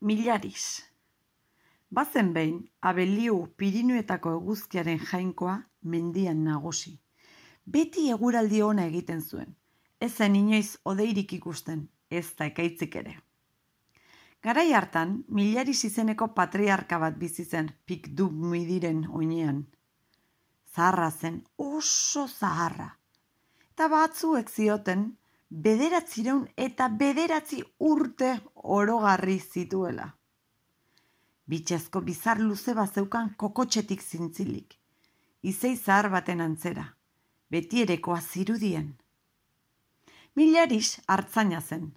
Milaris. Bazen behin, Abeliu Pirinuetako eguzkiaren jainkoa mendian nagusi. Beti eguraldi ona egiten zuen. Ez zen inoiz hodeirik ikusten, ez da ekaitzik ere. Garai hartan, Milaris izeneko patriarka bat bizi zen Pikdumidiren oinean. Zaharra zen, oso zaharra. Eta batzuek zioten, 909 urte orogarri zituela. Bitxezko bizar luze bat zeukan kokotxetik zintzilik. Izei zahar baten antzera, betierekoa zirudien. Milaris hartzaina zen.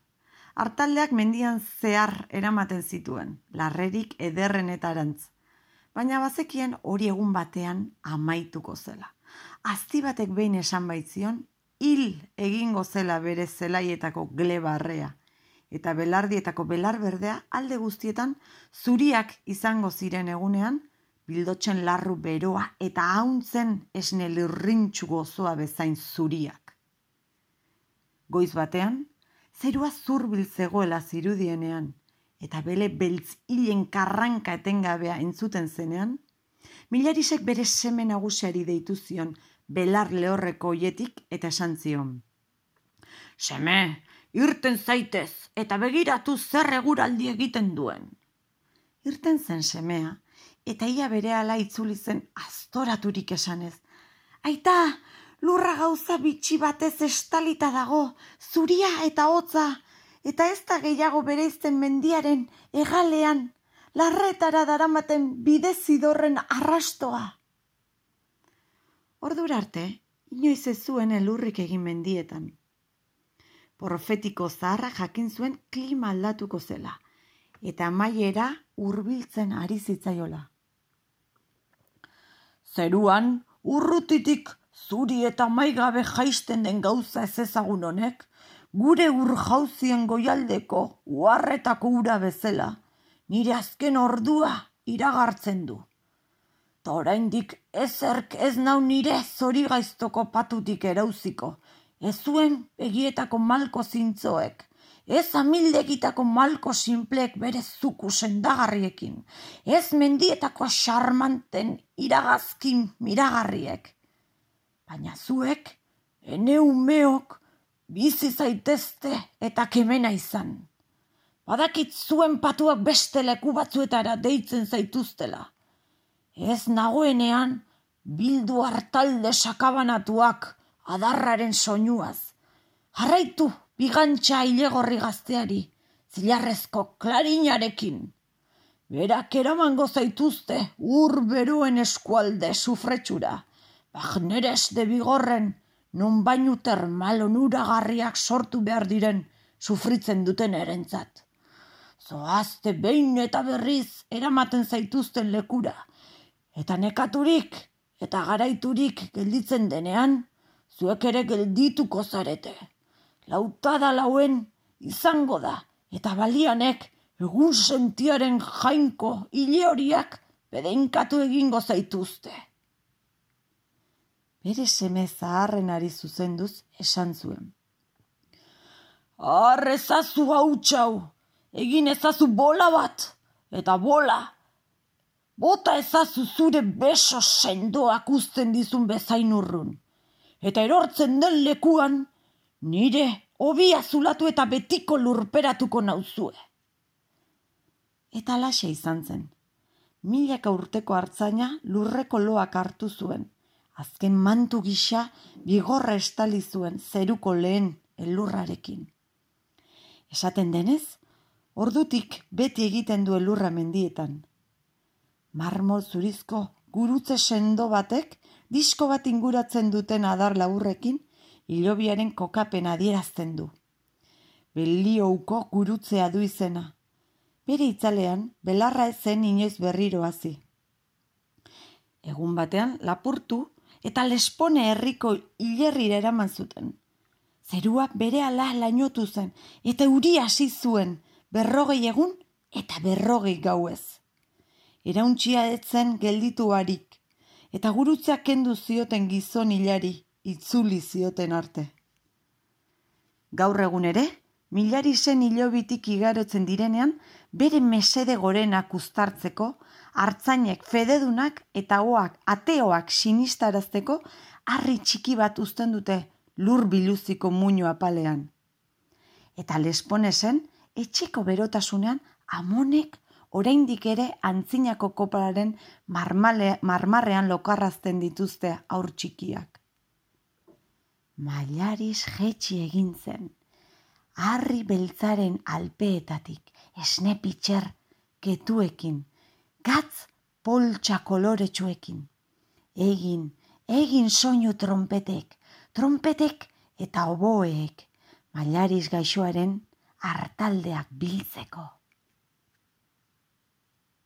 Artaldeak mendian zehar eramaten zituen, larrerik ederrenetarantz. Baina bazekien hori egun batean amaituko zela. Azti batek behin esan baitzion, hil egingo zela bere zelaietako glebarrea, eta belardietako belar berdea alde guztietan zuriak izango ziren egunean, bildotzen larru beroa eta hauntzen esne lurrintxu gozoa bezain zuriak. Goiz batean, zerua zurbil zegoela zirudienean, eta bele beltz hilen karranka etengabea entzuten zenean, Milarisek bere seme nagusiari deitu zion, belar lehorreko oietik eta esan zion. Seme, irten zaitez eta begiratu zer eguraldi egiten duen. Irten zen semea eta ia berehala itzuli zen aztoraturik esanez. Aita, lurra gauza bitxi batez estalita dago, zuria eta hotza, eta ez da gehiago bereizten mendiaren hegalean, larretara daramaten bidezidorren arrastoa. Ordura arte, inoiz ez zuen elurrik egin mendietan. Profetiko zaharra jakin zuen klima aldatuko zela, eta amaiera hurbiltzen ari zitzaiola. Zeruan, urrutitik zuri eta maigabe jaisten den gauza ez ezagun honek, gure urjauzien goialdeko uharretako ura bezala, nire azken ordua iragartzen du. Ta oraindik ezerk ez nau nire zorigaiztoko patutik erauziko, ez zuen begietako malko zintzoek, ez amildegitako malko sinpleek bere zuku sendagarriekin, ez mendietako xarmanten iragazkin miragarriek. Baina zuek, ene umeok, bizi zaitezte eta kemena izan. Badakit zuen patuak beste leku batzuetara deitzen zaituztela. Ez nagoenean, bildu hartalde sakabanatuak adarraren soinuaz. Jarraitu bigantxa ilegorri gazteari, zilarrezko klarinarekin. Berak eramango zaituzte ur beruen eskualde sufretxura, bagneres de bigorren, non bainu termal onuragarriak sortu behar diren sufritzen duten erentzat. Zoazte behin eta berriz eramaten zaituzten lekura, eta nekaturik eta garaiturik gelditzen denean, zuek ere geldituko zarete. Lautada lauen izango da, eta balianek egun sentiaren jainko hile horiak bedeinkatu egingo zaituzte. Bere seme zaharrenari zuzenduz esan zuen. Har ezazu hautxau, egin ezazu bola bat, eta bola. Bota ezazu zure beso sendoak uzten dizun bezain urrun. Eta erortzen den lekuan, nire hobia zulatu eta betiko lurperatuko nauzue. Eta alaxe izan zen. Milaka urteko hartzaina lurreko loak hartu zuen. Azken mantu gisa bigorra estali zuen zeruko lehen elurrarekin. Esaten denez, ordutik beti egiten du elurra mendietan. Marmol zurizko gurutze sendo batek disko bat inguratzen duten adar laburrekin hilobiaren kokapen adierazten du. Beliouko gurutzea du izena. Bere itzalean belarra ezen inoiz berriro hasi. Egun batean lapurtu eta Lespone herriko hilerrira eraman zuten. Zerua berehala lainotu zen eta euria hasi zuen 40 egun eta 40 gauez. Erauntxia etzen geldituarik, eta gurutzea kendu zioten gizon hilari, itzuli zioten arte. Gaur egun ere, Milarisen hilobitik igarotzen direnean, bere mesede gorenak uztartzeko, hartzainek fededunak eta ateoak sinistarazteko harri txiki bat uzten dute lur biluziko muino apalean. Eta Lesponesen, etxeko berotasunean, amonek oraindik ere antzinako kopararen marmarrean lokarrazten dituzte haur txikiak. Mailaris jetxi egin zen, harri beltzaren alpeetatik, esne pitxer ketuekin, gatz poltsa koloretsuekin. Egin soinu trompetek eta oboeek, Mailaris gaixoaren hartaldeak biltzeko.